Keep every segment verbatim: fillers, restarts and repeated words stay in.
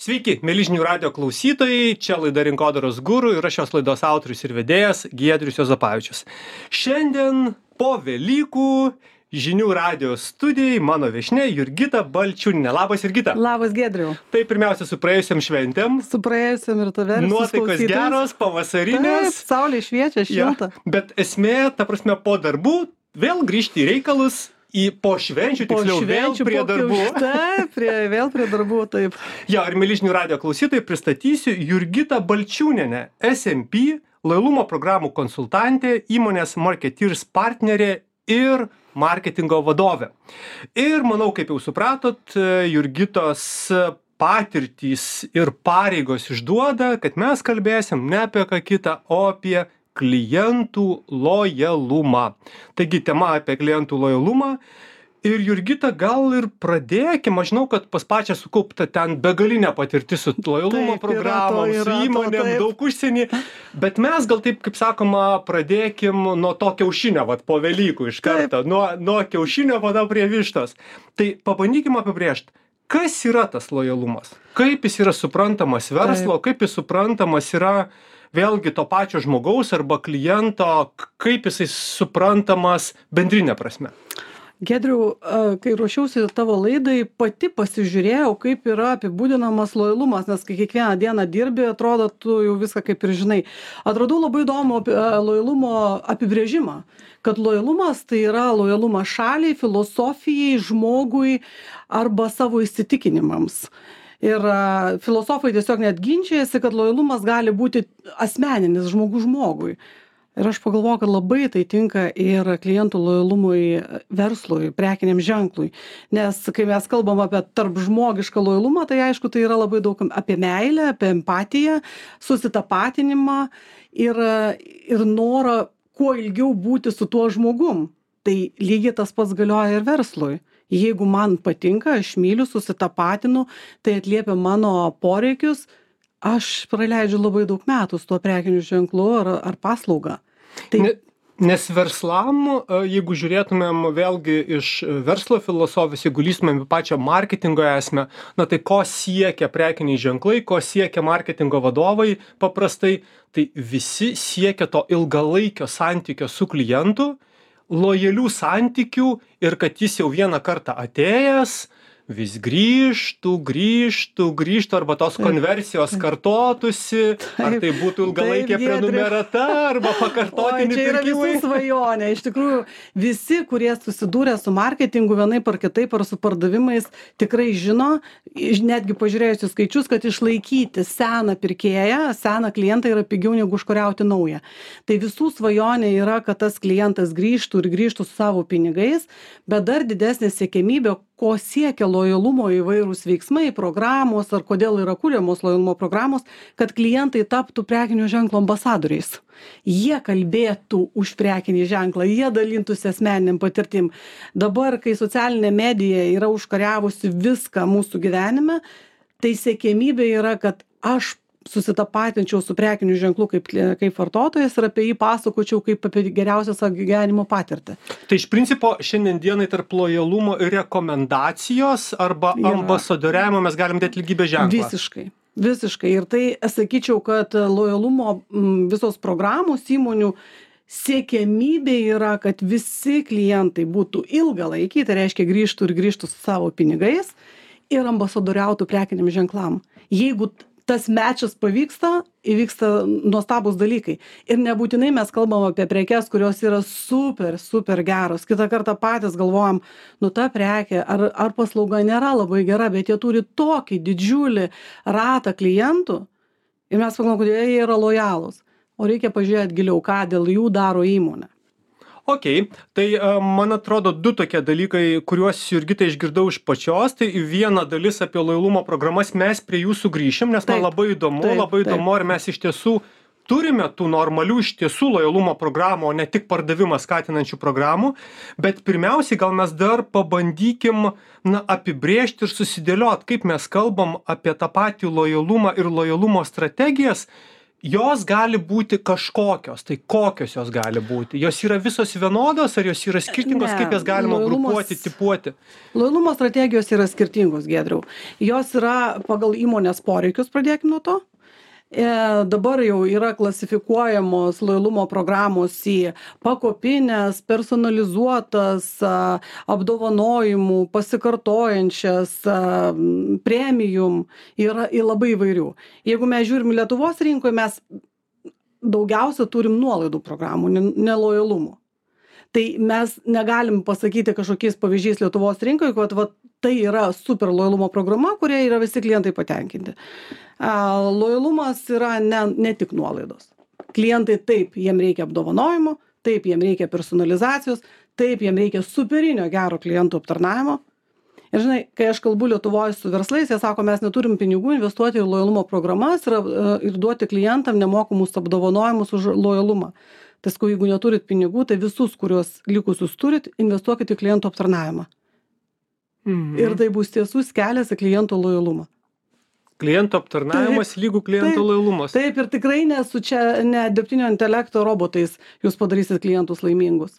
Sveiki, mėly žinių radio klausytojai, čia laida Rinkodaros guru ir aš šios laidos autorius ir vedėjas Giedrius Juozapavičius. Šiandien po Velykų žinių radio studijai mano viešnia Jurgita Balčiūnienė. Labas, Jurgita. Labas, Giedriu. Tai pirmiausia su praėjusiam šventėm. Su praėjusiam ir tave. Nuotaikos geros, pavasarinės. Taip, saulė šviečia, šilta. Ja, bet esmė, ta prasme, po darbų vėl grįžti į reikalus. Į po švenčių, po tiksliau, švenčių, vėl prie po darbų. Taip, prie, vėl prie darbų, taip. Jo, ir mėly žinių radio klausytojai, pristatysiu Jurgitą Balčiūnienę, S M P, lojalumo programų konsultantė, įmonės Marketeers partnerė ir marketingo vadovė. Ir manau, kaip jau supratot, Jurgitos patirtys ir pareigos išduoda, kad mes kalbėsim ne apie ką kitą, o apie klientų lojalumą. Taigi tema apie klientų lojalumą. Ir Jurgita, gal ir pradėkim, aš žinau, kad pas pačią sukaupta ten begalinė patirtis su lojalumo Taip, programom, yra to, yra su įmonėm, to, taip. daug užsienį. Bet mes gal taip, kaip sakoma, pradėkim nuo to kiaušinio, vat po Velykų iš karto. Nuo, nuo kiaušinio pada prie vištos. Tai pabandykim apibrėžti, kas yra tas lojalumas? Kaip jis yra suprantamas verslo, Taip. kaip jis suprantamas yra vėlgi to pačio žmogaus arba kliento, kaip jisai suprantamas bendrinė prasme? Giedriu, kai ruošiausi tavo laidai, pati pasižiūrėjau, kaip yra apibūdinamas lojalumas, nes kai kiekvieną dieną dirbi, atrodo, tu jau viską kaip ir žinai. Atradau labai įdomų lojalumo apibrėžimą, kad lojalumas tai yra lojalumas šaliai, filosofijai, žmogui arba savo įsitikinimams. Ir uh, filosofai tiesiog net ginčiasi, kad lojalumas gali būti asmeninis žmogus žmogui. Ir aš pagalvoju, kad labai tai tinka ir klientų lojalumui verslui, prekiniam ženklui. Nes kai mes kalbam apie tarp žmogišką lojalumą, tai aišku, tai yra labai daug apie meilę, apie empatiją, susitapatinimą ir, ir norą kuo ilgiau būti su tuo žmogum. Tai lygiai tas pats galioja ir verslui. Jeigu man patinka, aš myliu, susitapatinu, tai atliepia mano poreikius, aš praleidžiu labai daug metų su tuo prekiniu ženklu ar, ar paslauga. Tai... Ne, nes verslam, jeigu žiūrėtumėm vėlgi iš verslo filosofijos, jeigu lystumėm į pačią marketingo esmę, na tai ko siekia prekiniai ženklai, ko siekia marketingo vadovai paprastai, tai visi siekia to ilgalaikio santykio su klientu, lojalių santykių ir kad jis jau vieną kartą atėjęs, vis grįžtų, grįžtų, grįžtų, arba tos konversijos kartotųsi, ar tai būtų ilgalaikė prenumerata, arba pakartotiniai pirkimai. Oi, čia yra visų svajonė. Iš tikrųjų, visi, kurie susidūrė su marketingu vienaip ar kitaip, ar su pardavimais, tikrai žino, netgi pažiūrėjusi skaičius, kad išlaikyti seną pirkėją, seną klientą yra pigiau negu užkariauti naują. Tai visų svajonė yra, kad tas klientas grįžtų ir grįžtų su savo pinigais, bet dar didesnė siekėmybė, ko siekia lojalumo įvairūs veiksmai, programos ar kodėl yra kūriamos lojalumo programos, kad klientai taptų prekinio ženklo ambasadoriais. Jie kalbėtų už prekinį ženklą, jie dalintųsi asmeniniam patirtim. Dabar, kai socialinė medija yra užkariavusi viską mūsų gyvenime, tai siekėmybė yra, kad aš susitapatinčiau su prekiniu ženklu kaip, kaip vartotojas ir apie jį pasakočiau kaip apie geriausią savo gyvenimo patirtį. Tai iš principo šiandien dienai tarp lojalumo ir rekomendacijos arba Yra. ambasadoriavimo mes galim dėti lygybės ženklą. Visiškai. Visiškai. Ir tai sakyčiau, kad lojalumo m, visos programos įmonių siekiamybė yra, kad visi klientai būtų ilgalaikiai, tai reiškia grįžtų ir grįžtų su savo pinigais ir ambasadoriautų prekiniam ženklam. Jeigu tas mečas pavyksta, įvyksta nuostabūs dalykai. Ir nebūtinai mes kalbam apie prekes, kurios yra super, super geros. Kitą kartą patys galvojam, nu ta prekė ar, ar paslauga nėra labai gera, bet jie turi tokį didžiulį ratą klientų ir mes pagalvojam, kad jie yra lojalūs. O reikia pažiūrėti giliau, ką dėl jų daro įmonė. Ok, tai uh, man atrodo du tokie dalykai, kuriuos Jurgita išgirdau iš pačios, tai viena dalis apie lojalumo programas mes prie jų sugrįšim, nes Taip, man labai įdomu, taip, labai taip. įdomu, ar mes iš tiesų turime tų normalių iš tiesų lojalumo programų, o ne tik pardavimą skatinančių programų, bet pirmiausiai gal mes dar pabandykim na, apibrėžti ir susidėliot, kaip mes kalbam apie tą patį lojalumą ir lojalumo strategijas, jos gali būti kažkokios, tai kokios jos gali būti? Jos yra visos vienodos, ar jos yra skirtingos, Ne, kaip jas galima lojalumas- grupuoti, tipuoti? Lojalumo strategijos yra skirtingos, Giedriau. Jos yra pagal įmonės poreikius, pradėkime nuo to. E, dabar jau yra klasifikuojamos lojalumo programos į pakopinės, personalizuotas, a, apdovanojimų, pasikartojančias, a, m, premium, yra į labai įvairių. Jeigu mes žiūrim Lietuvos rinkoje, mes daugiausia turim nuolaidų programų, ne, ne lojalumo. Tai mes negalim pasakyti kažkokiais pavyzdžiais Lietuvos rinkoje, kad va, tai yra super lojalumo programa, kuria yra visi klientai patenkinti. A, lojalumas yra ne, ne tik nuolaidos. Klientai taip, jiem reikia apdovanojimo, taip, jiem reikia personalizacijos, taip, jiem reikia superinio gero klientų aptarnavimo. Ir žinai, kai aš kalbu Lietuvoje su verslais, jie sako, mes neturim pinigų investuoti į lojalumo programas ir, ir duoti klientam nemokamus apdovanojimus už lojalumą. Tai sakau, jeigu neturit pinigų, tai visus, kuriuos likusius turit, investuokit į klientų aptarnavimą. Mhm. Ir tai bus tiesus kelias į klientų lojalumą. Klientų aptarnavimas lygų klientų taip, lojalumas. Taip, ir tikrai ne su čia, ne dirbtinio intelekto robotais jūs padarysit klientus laimingus.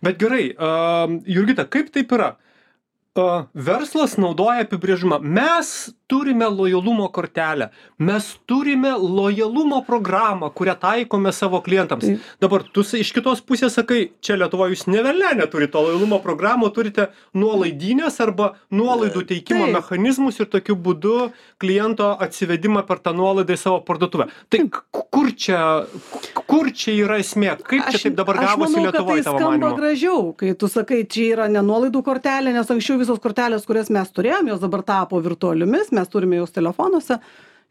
Bet gerai, uh, Jurgita, kaip taip yra? Uh, verslas naudoja apibrėžimą. Mes turime lojalumo kortelę. Mes turime lojalumo programą, kurią taikome savo klientams. Taip. Dabar tu sa- iš kitos pusės sakai, čia Lietuvoje jūs ne velnė neturite to lojalumo programų, turite nuolaidinės arba nuolaidų teikimo Taip. mechanizmus ir tokiu būdu kliento atsivedimą per tą nuolaidą į savo parduotuvę. Tai k- kur čia, kur čia yra esmė? Kaip čia taip dabar aš gavosi manau, kad Lietuvoje tai tavo skamba manymu? gražiau, kai tu sakai, čia yra ne nuolaidų kortelė, nes anksčiau visos kortelės, kurias mes turėjom, jos dabar tapo virtualiomis, mes turime jos telefonuose,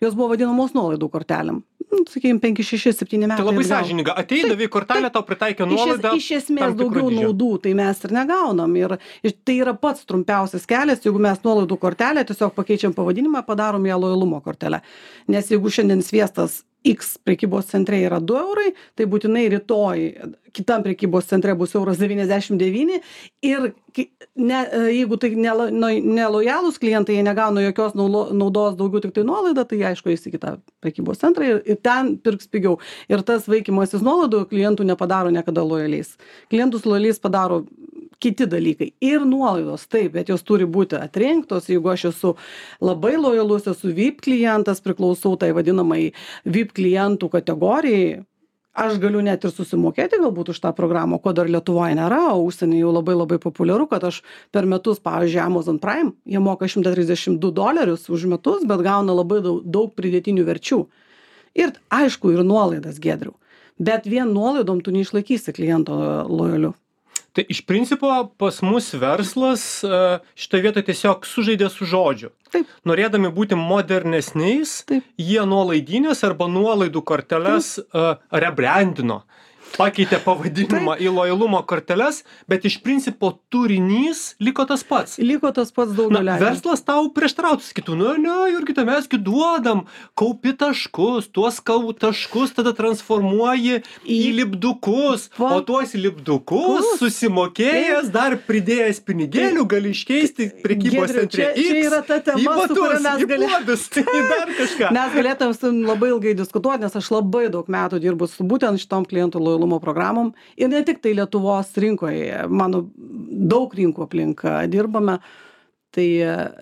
jos buvo vadinamos nuolaidų kortelėm. Nu, sakykime, penki, šeši, septyni metai. Tai labai atgal. sąžininga. Ateidavai kortelę, tau pritaikė Iš, es, nuolaidą. iš esmės tam tikro daugiau dydžio. naudų, tai mes ir negaunam. Ir, ir tai yra pats trumpiausias kelias, jeigu mes nuolaidų kortelę tiesiog pakeičiam pavadinimą, padarom ją lojalumo kortelę. Nes jeigu šiandien sviestas X prekybos centre yra du eurai, tai būtinai rytoj kitam prekybos centre bus euras devyniasdešimt devyni ir ki- ne, jeigu tai nelo- no- nelojalūs klientai, jie negauna jokios naulo- naudos, daugiau tik tai nuolaidą, tai aišku, eis į kitą prekybos centrą ir, ir ten pirks pigiau. Ir tas vaikymasis nuolaidų klientų nepadaro niekada lojaliais. Klientus lojaliais padaro kiti dalykai. Ir nuolaidos, taip, bet jos turi būti atrinktos. Jeigu aš esu labai lojalus, esu V I P klientas, priklausau tai vadinamai V I P klientų kategorijai, aš galiu net ir susimokėti galbūt už tą programą, ko dar Lietuvoje nėra, o užsienį jau labai labai populiaru, kad aš per metus, pavyzdžiui, Amazon Prime, jie moka šimtą trisdešimt du dolerius už metus, bet gauna labai daug, daug pridėtinių verčių. Ir aišku, ir nuolaidas, Giedriau. Bet vien nuolaidom tu neišlaikysi kliento lojaliu. Tai iš principo pas mus verslas e, šitoje vietoje tiesiog sužaidė su žodžiu. Taip. Norėdami būti modernesniais, Taip. jie nuolaidinės arba nuolaidų korteles e, rebrandino. Pakeitė pavadinimą į lojalumo korteles, bet iš principo turinys liko tas pats. Liko tas pats daug Na, nuleidžia. verslas tau prieštarautų, sakytų, nu, ne, Jurgita, mesgi duodam, kaupi taškus, tuos kau taškus tada transformuoji į, į lipdukus, Va. o tuos lipdukus Kus. susimokėjęs, dar pridėjęs pinigėlių, gali iškeisti prekybos Giedriau, centre čia- čia yra ta tema, į su batus, kuria mes į gali- puodus, į dar kažką. Mes galėtume su jum labai ilgai diskutuoti, nes aš labai daug metų dirbu su būtent šitom klientų lojalumo programom. Ir ne tik tai Lietuvos rinkoje, mano daug rinkų aplink dirbame. Tai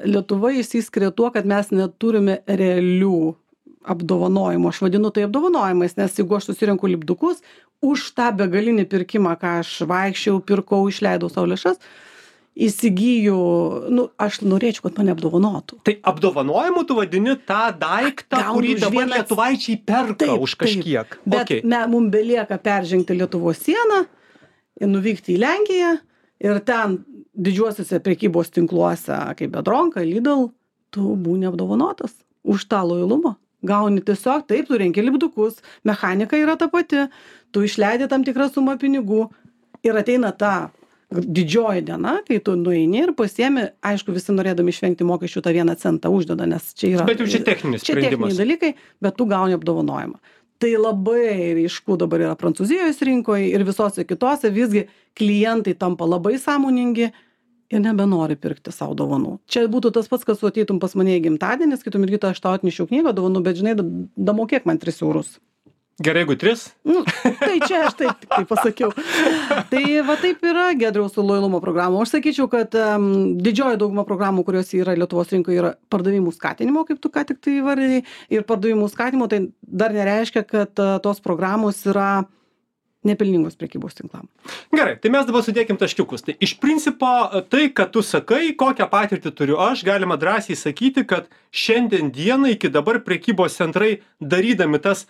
Lietuva išsiskiria tuo, kad mes neturime realių apdovanojimų. Aš vadinu tai apdovanojimais, nes jeigu aš susirinku lipdukus, už tą begalinį pirkimą, ką aš vaikščiau, pirkau, išleidau savo lėšas, įsigyju, nu, aš norėčiau, kad mane apdovanotų. Tai apdovanojimu tu vadini tą daiktą, Gaunu kurį už dabar vieną- lietuvaičiai perka už kažkiek. Bet Okay. me, mums belieka peržengti Lietuvos sieną ir nuvykti į Lenkiją ir ten didžiuosiuose prekybos tinkluose, kaip Bedronka, Lidl, tu būni apdovanotas už tą lojalumą. Gauni tiesiog, taip, tu renki lipdukus, mechanika yra ta pati, tu išleidi tam tikrą sumą pinigų ir ateina ta didžioji diena, kai tu nueini ir pasiemi, aišku, visi norėdami išvengti mokesčių tą vieną centą uždeda, nes čia yra... Bet jau čia techninis Čia sprendimas. techniniai dalykai, bet tu gauni apdovanojimą. Tai labai ryšku dabar yra Prancūzijos rinkoje ir visose kitose, visgi klientai tampa labai sąmoningi ir nebenori pirkti savo dovanų. Čia būtų tas pats, kad ateitum pas mane į gimtadienį, skaitum irgi, aš tau atnešiau knygą dovanų, bet žinai, da- damokėk man tris eurus Gerai, jeigu tris. Nu, tai čia aš taip, taip pasakiau. Tai va taip yra Giedriaus su lojalumo programu. Aš sakyčiau, kad um, didžioji dauguma programų, kurios yra Lietuvos rinkoje, yra pardavimų skatinimo, kaip tu ką tik tai įvardėjai. Ir pardavimų skatinimo tai dar nereiškia, kad uh, tos programos yra nepelningos prekybos tinklam. Gerai, tai mes dabar sudėkim taškiukus. Tai iš principo tai, kad tu sakai, kokią patirtį turiu aš, galima drąsiai sakyti, kad šiandien dieną iki dabar prekybos centrai darydami tas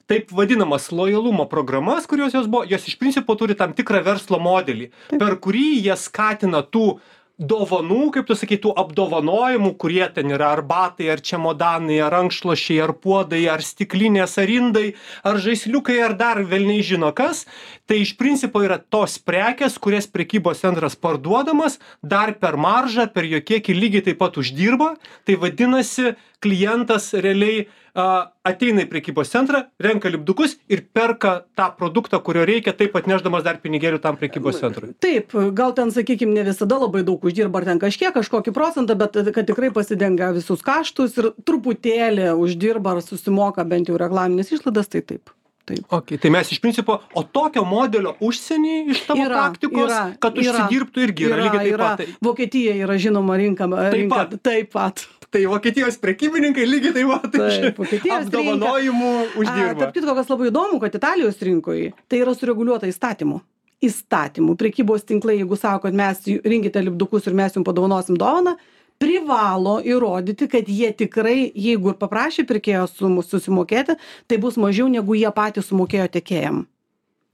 taip vadinamas lojalumo programas, kurios jos buvo, jos iš principo turi tam tikrą verslo modelį, taip, per kurį jie skatina tų dovanų, kaip tu sakai, tų apdovanojimų, kurie ten yra ar batai, ar čemodanai, ar rankšluosčiai, ar puodai, ar stiklinės, ar indai, ar žaisliukai, ar dar velniai žino kas. Tai iš principo yra tos prekės, kurias prekybos centras parduodamas, dar per maržą, per jo kiekį lygiai taip pat uždirba. Tai vadinasi, klientas realiai a, ateina į prekybos centrą, renka lipdukus ir perka tą produktą, kurio reikia, taip atnešdamas dar pinigėlių tam prekybos centrui. Taip, gal ten, sakykime, ne visada labai daug uždirba, ar ten kažkiek, kažkokį procentą, bet kad tikrai pasidengia visus kaštus ir truputėlį uždirba ar susimoka bent jau reklaminės išlaidas, tai taip. Taip. Okay, tai mes iš principo, o tokio modelio užsienį iš tavo yra, praktikos, yra, kad užsidirbtų irgi yra, yra lygiai taip yra. pat. Tai... Vokietija yra žinoma rinka, taip rinka pat. Taip pat. Tai Vokietijos prekybininkai lygiai taip pat taip, apdovanojimų uždirba. A, tarp kitko, kas labai įdomu, kad Italijos rinkoje tai yra sureguliuota įstatymu. Įstatymų. Prekybos tinklai, jeigu sako, kad mes rinkite lipdukus ir mes jums padovanosim dovaną, privalo įrodyti, kad jie tikrai, jeigu ir paprašė pirkėjo susimokėti, tai bus mažiau negu jie patys sumokėjo tiekėjam.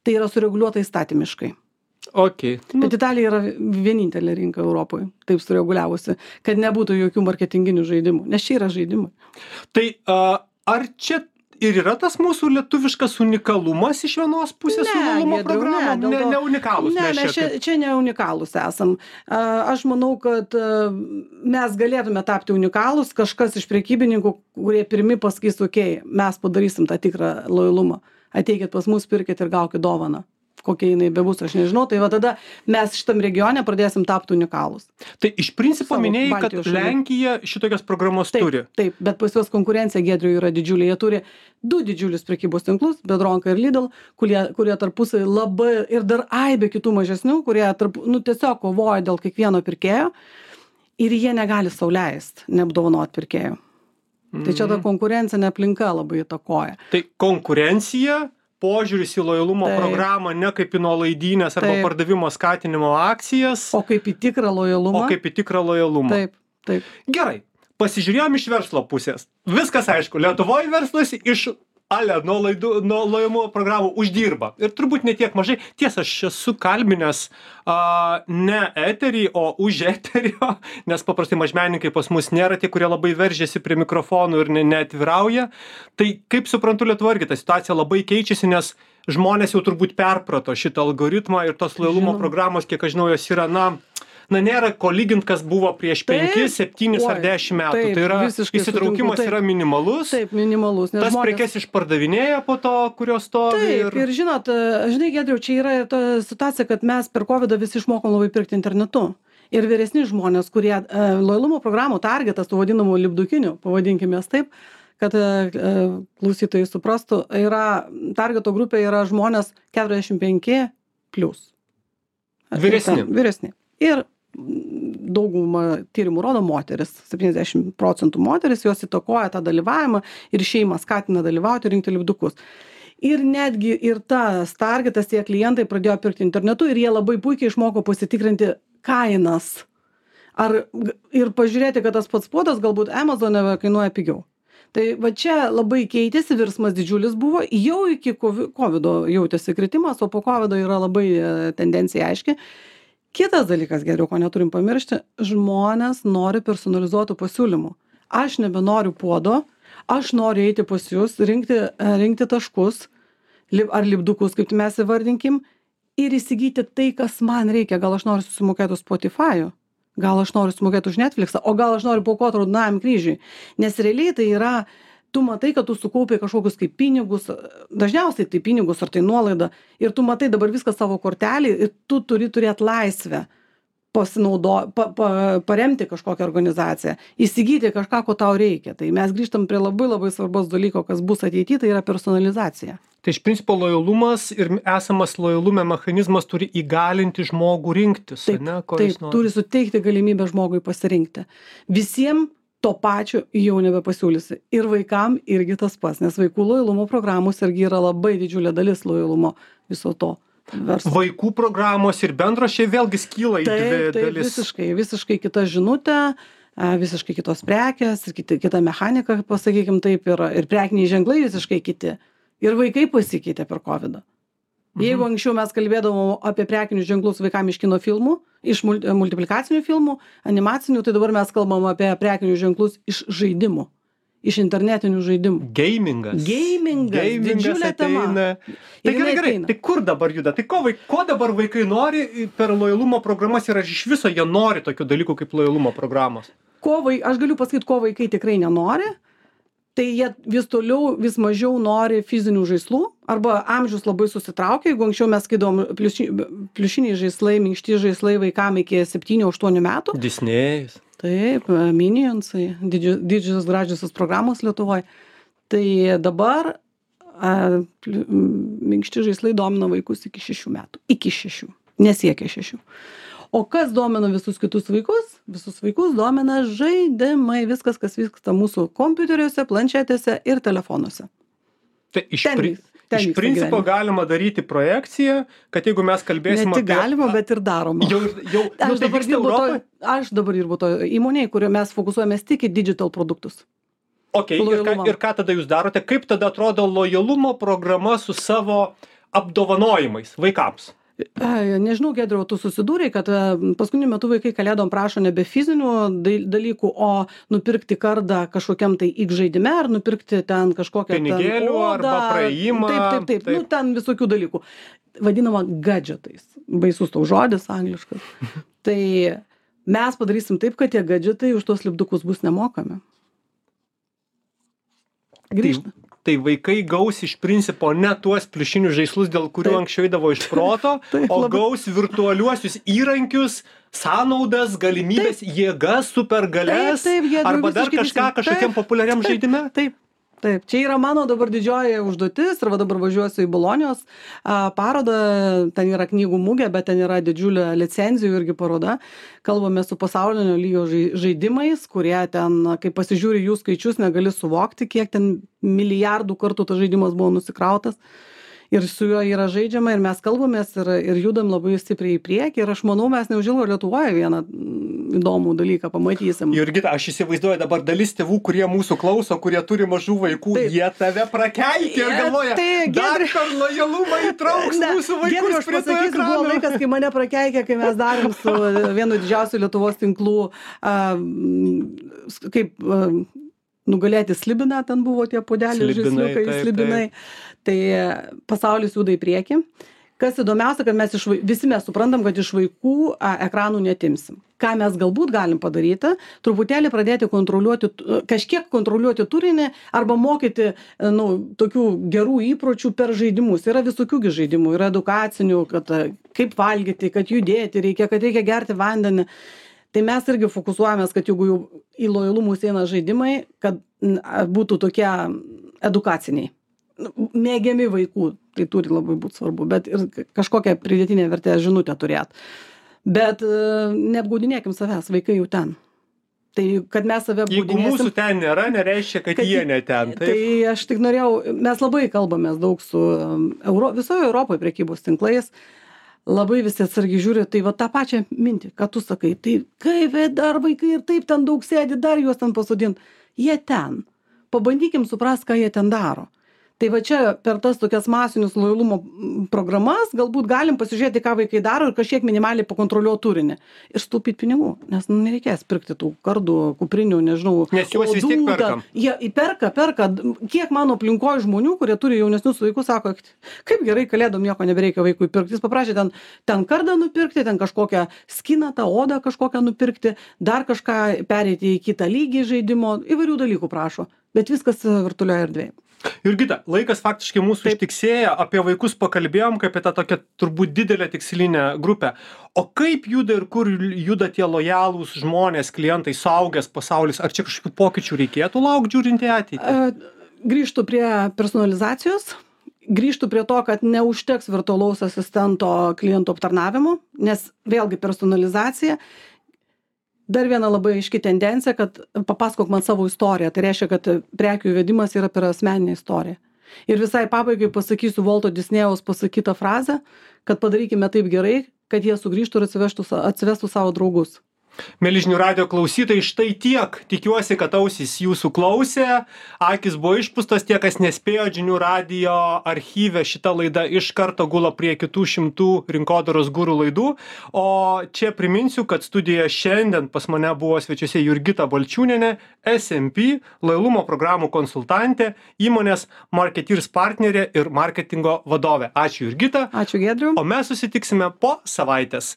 Tai yra sureguliuota įstatymiškai. Okay. Bet Italija yra vienintelė rinka Europoje, taip sureguliavusi, kad nebūtų jokių marketinginių žaidimų, nes čia yra žaidimai. Tai uh, ar čia ir yra tas mūsų lietuviškas unikalumas iš vienos pusės su lojalumo programom? Ne, ne, ne unikalūs. Ne, mes čia, čia ne unikalūs esam. Aš manau, kad mes galėtume tapti unikalūs, kažkas iš prekybininkų, kurie pirmi pasakys, okei, okay, mes padarysim tą tikrą lojalumą. Ateikit pas mus, pirkit ir gaukit dovaną. Kokia jinai bebus, aš nežinau, tai va tada mes šitam regione pradėsim tapti unikalūs. Tai iš principo minėjai, kad Lenkija šitokias programos taip, turi. Taip, bet pas juos konkurencija Giedriui yra didžiulė. Jie turi du didžiulius prekybos tinklus, Biedronka ir Lidl, kurie, kurie tarpusai labai ir dar aibė kitų mažesnių, kurie tarp, nu, tiesiog kovoja dėl kiekvieno pirkėjo ir jie negali sau leisti neapdovanot pirkėjų. Mm. Tai čia ta konkurencinė aplinka labai įtakoja. Tai konkurencija, požiūris į lojalumo taip. Programą ne kaip į nuolaidynės arba taip. Pardavimo skatinimo akcijas. O kaip į tikrą lojalumą. O kaip į tikrą lojalumą. Taip, taip. Gerai, pasižiūrėjom iš verslo pusės. Viskas aišku, Lietuvoje verslas iš ale nuolaidų, nuo lojalumo programų uždirba. Ir turbūt ne tiek mažai. Tiesa, aš esu kalbinęs a, ne eterį, o už eterio, nes paprastai mažmenininkai pas mus nėra tie, kurie labai veržiasi prie mikrofonų ir ne, neatvirauja. Tai kaip suprantu, Lietuvoje irgi ta situacija labai keičiasi, nes žmonės jau turbūt perprato šitą algoritmą ir tos lojalumo programos, kiek aš žinau, jos yra, na, na nėra ko lygint, kas buvo prieš penkis, septynis ar dešimt metų. Taip, tai yra įsitraukimas sutinku, yra minimalus. Taip, minimalus. Tas žmonės... prekes išpardavinėja po to, kurios stovi. Taip, ir, ir žinot, žinai, Giedriau, čia yra ta situacija, kad mes per kovidą visi išmokom labai pirkti internetu. Ir vyresni žmonės, kurie e, lojalumo programų targetas, tų vadinamų lipdukinių, pavadinkime jas taip, kad e, klausytojai suprastų, yra, targeto grupė yra žmonės keturiasdešimt penki plus. Vyresni. Ten, vyresni. Ir daugumą tyrimų rodo moteris, septyniasdešimt procentų moteris, jos įtakoja tą dalyvavimą ir šeimą skatina dalyvauti ir rinkti lipdukus. Ir netgi ir tas targetas, tie klientai pradėjo pirkti internetu ir jie labai puikiai išmoko pasitikrinti kainas. Ar, ir pažiūrėti, kad tas pats puodas galbūt Amazone kainuoja pigiau. Tai va čia labai keitėsi, virsmas didžiulis buvo, jau iki kovido jautėsi kritimas, o po kovido yra labai tendencija aiški. Kitas dalykas, Giedriau, ko neturim pamiršti, žmonės nori personalizuotų pasiūlymų. Aš nebenoriu puodo, aš noriu eiti pas jūs, rinkti, rinkti taškus ar lipdukus, kaip mes įvardinkim, ir įsigyti tai, kas man reikia. Gal aš noriu susimokėti už Spotify'ų, gal aš noriu susimokėti už Netflixą, o gal aš noriu paaukoti raudonajam kryžiui. Nes realiai tai yra, tu matai, kad tu sukaupi kažkokius kaip pinigus, dažniausiai tai pinigus ar tai nuolaida, ir tu matai dabar viską savo kortelį ir tu turi turėti laisvę pasinaudo, pa, pa, paremti kažkokią organizaciją, įsigyti kažką, ko tau reikia. Tai mes grįžtam prie labai labai svarbos dalyko, kas bus ateityje, tai yra personalizacija. Tai iš principo lojalumas ir esamas lojalume mechanizmas turi įgalinti žmogų rinktis, Taip, ne, ko taip jis nori. turi suteikti galimybę žmogui pasirinkti. Visiems to pačio jau nebepasiūlysi. Ir vaikam irgi tas pats, nes vaikų lojalumo programos irgi yra labai didžiulė dalis lojalumo viso to verslo. Vaikų programos ir bendros čia vėlgi skyla į dvi Taip, taip, dalis. visiškai, visiškai kita žinutė, a, visiškai kitos prekės, ir kiti, kita mechanika, pasakykim taip, ir, ir prekiniai ženklai visiškai kiti. Ir vaikai pasikeitė per kovidą. Jeigu anksčiau mes kalbėdavom apie prekinius ženklus vaikam iš kino filmų, iš multi, multiplikacinių filmų, animacinių, tai dabar mes kalbam apie prekinius ženklus iš žaidimų, iš internetinių žaidimų. Gamingas. Gamingas, Gamingas didžiulė tema. ateina. Ir Tai gerai, jinai gerai. ateina. Tai kur dabar juda? Tai ko, vaik, ko dabar vaikai nori per lojalumo programas ir ar iš viso jie nori tokių dalykų kaip lojalumo programos? Ko vai, aš galiu pasakyti, ko vaikai tikrai nenori. Tai jie vis toliau, vis mažiau nori fizinių žaislų, arba amžius labai susitraukia. Jeigu anksčiau mes skaidom pliuši, pliušiniai žaislai, minkšti žaislai vaikam iki septynių aštuonių metų. Disnėjus. Taip, Minionsai, didži, didžiosios gražiosios programos Lietuvoje. Tai dabar a, pli, minkšti žaislai domina vaikus iki šešių metų. Iki šešių. Nesiekia šešių. O kas domina visus kitus vaikus? Visus vaikus domina žaidimai, viskas, kas vyksta mūsų kompiuteriuose, planšetėse ir telefonuose. Tai iš, Ten pri, vis- ten iš vyksta principo gyvenimas. galima daryti projekciją, kad jeigu mes Ne kalbėsime tik galima, bet ir daroma. Jau, jau, jau Aš tai dabar, vyksta dirbu to, Europoje? aš dabar dirbu to įmonėje, kurioje mes fokusuojamės tik į digital produktus. Okay, ir, ką, Lojalumą. ir ką tada jūs darote? Kaip tada atrodo lojalumo programa su savo apdovanojimais vaikams? Ai, Nežinau, Gedriau, tu susidūrei, kad e, paskutiniu metu vaikai kalėdom prašo nebe fizinių dai- dalykų, o nupirkti kardą kažkokiam tai X žaidime, ar nupirkti ten kažkokią ten Pinigėlių odą, arba praėjimą, Taip, taip, taip, taip. nu ten visokių dalykų. Vadinama gadgetais. Baisus tau žodis angliškas. Tai mes padarysim taip, kad tie gadgetai už tuos lipdukus bus nemokami. Grįžta. Tai, tai vaikai gaus iš principo ne tuos pliušinius žaislus, dėl kurių Taip. anksčiau eidavo iš proto, Taip, o labai. gaus virtualiuosius įrankius, sąnaudas, galimybės, jėgas, supergalias, Taip, taip, Giedriau, arba dar visiškai kažką teisingai. kažkokiam Taip, populiariam taip, žaidime. Taip. Taip, čia yra mano dabar didžioji užduotis ir va dabar važiuosiu į Bolonijos a, parodą, ten yra knygų mugė, bet ten yra didžiulė licenzijų irgi paroda. Kalbame su pasaulinio lygio žai- žaidimais, kurie ten, kai pasižiūri jų skaičius, negali suvokti, kiek ten milijardų kartų tas žaidimas buvo nusikrautas. Ir su juo yra žaidžiama ir mes kalbamės ir, ir judam labai stipriai į priekį. Ir aš manau, mes neužilgo Lietuvoje vieną mm, įdomų dalyką pamatysim. Jurgita, aš įsivaizduoju dabar dalis tėvų, kurie mūsų klauso, kurie turi mažų vaikų, Taip. jie tave prakeikė ir Jie- galvoja, tai, dar Giedriau- per lojalumą įtrauks Ne, mūsų Giedriau, vaikus aš prie to pasakysiu, buvo ekrano. laikas, kai mane prakeikė, kai mes darėm su vienu didžiausių Lietuvos tinklų, a, m, s- kaip a, nugalėti slibiną, ten buvo tie podeliai, Slibinai, žaisliukai, taip, slibinai. Tai pasaulis juda į priekį. Kas įdomiausia, kad mes iš, vai- visi mes suprantam, kad iš vaikų a, ekranų netimsim. Ką mes galbūt galim padaryti, truputėlį pradėti kontroliuoti, tu- kažkiek kontroliuoti turinį arba mokyti e, nu, tokių gerų įpročių per žaidimus. Yra visokių gi žaidimų, yra edukacinių, kad e, kaip valgyti, kad judėti reikia, kad reikia gerti vandenį. Tai mes irgi fokusuojamės, kad jeigu jau į lojalumus eina žaidimai, kad n, a, būtų tokie edukaciniai. Nu, mėgiami vaikų, tai turi labai būti svarbu, bet ir k- kažkokią pridėtinę vertę žinutę turėt. Bet e, neapgaudinėkim savęs, vaikai jau ten. Tai kad mes save Jeigu apgaudinėsim. mūsų ten nėra, nereiškia, kad, Kad jie jie- ne ten. Tai aš tik norėjau, mes labai kalbamės daug su um, Euro, visoje Europoje prekybos tinklais, labai visi atsargiai žiūri, tai va tą pačią mintį, ką tu sakai, tai kaip dar vaikai ir taip ten daug sėdi, dar juos ten pasodint, jie ten, pabandykim suprast, ką jie ten daro. Tai va čia per tas tokias masinius lojalumo mm, programas galbūt galim pasižiūrėti, ką vaikai daro ir kažkiek minimaliai pakontroliuoti turinį. Ir sutaupyti pinigų, nes nu, nereikės pirkti tų kardų, kuprinių, nežinau. Nes juos vis tiek odų, perkam. ten. Jie įperka, perka. Kiek mano aplinkoje žmonių, kurie turi jaunesnius vaikus, sako, kaip gerai kalėdom nieko nebereikia vaikui pirkti. Jis paprašė ten, ten kardą nupirkti, ten kažkokią skiną, tą odą kažkokią nupirkti, dar kažką pereiti į kitą lygį žaidimo, įvairių dalykų prašo. Bet viskas e, virtualioje erdvėje. Jurgita, laikas faktiškai mūsų Taip. ištiksėjo, apie vaikus pakalbėjom, kaip apie tą tokią turbūt didelę tikslinę grupę. O kaip juda ir kur juda tie lojalūs žmonės, klientai, suaugęs pasaulis? Ar čia kažkokių pokyčių reikėtų laukti žiūrint į ateitį? E, Grįžtu prie personalizacijos. grįžtu prie to, kad neužteks virtualaus asistento klientų aptarnavimo, nes vėlgi personalizacija. Dar viena labai aiški tendencija, kad papasakok man savo istoriją. Tai reiškia, kad prekių įvedimas yra per asmeninę istoriją. Ir visai pabaigai pasakysiu Volto Disnėjaus pasakytą frazę, kad padarykime taip gerai, kad jie sugrįžtų ir atsivestų, atsivestų savo draugus. Mieli žinių radijo klausytojai, štai tiek. Tikiuosi, kad ausys jūsų klausė, akis buvo išpūstos, tie, kas nespėjo žinių radijo archyve, šita laida iš karto gula prie kitų šimtų rinkodaros gurų laidų. O čia priminsiu, kad studijoje šiandien pas mane buvo svečiuose Jurgita Balčiūnienė, S M P, lojalumo programų konsultantė, įmonės Marketeers partnerė ir marketingo vadovė. Ačiū Jurgita. Ačiū Giedriu. O mes susitiksime po savaitės.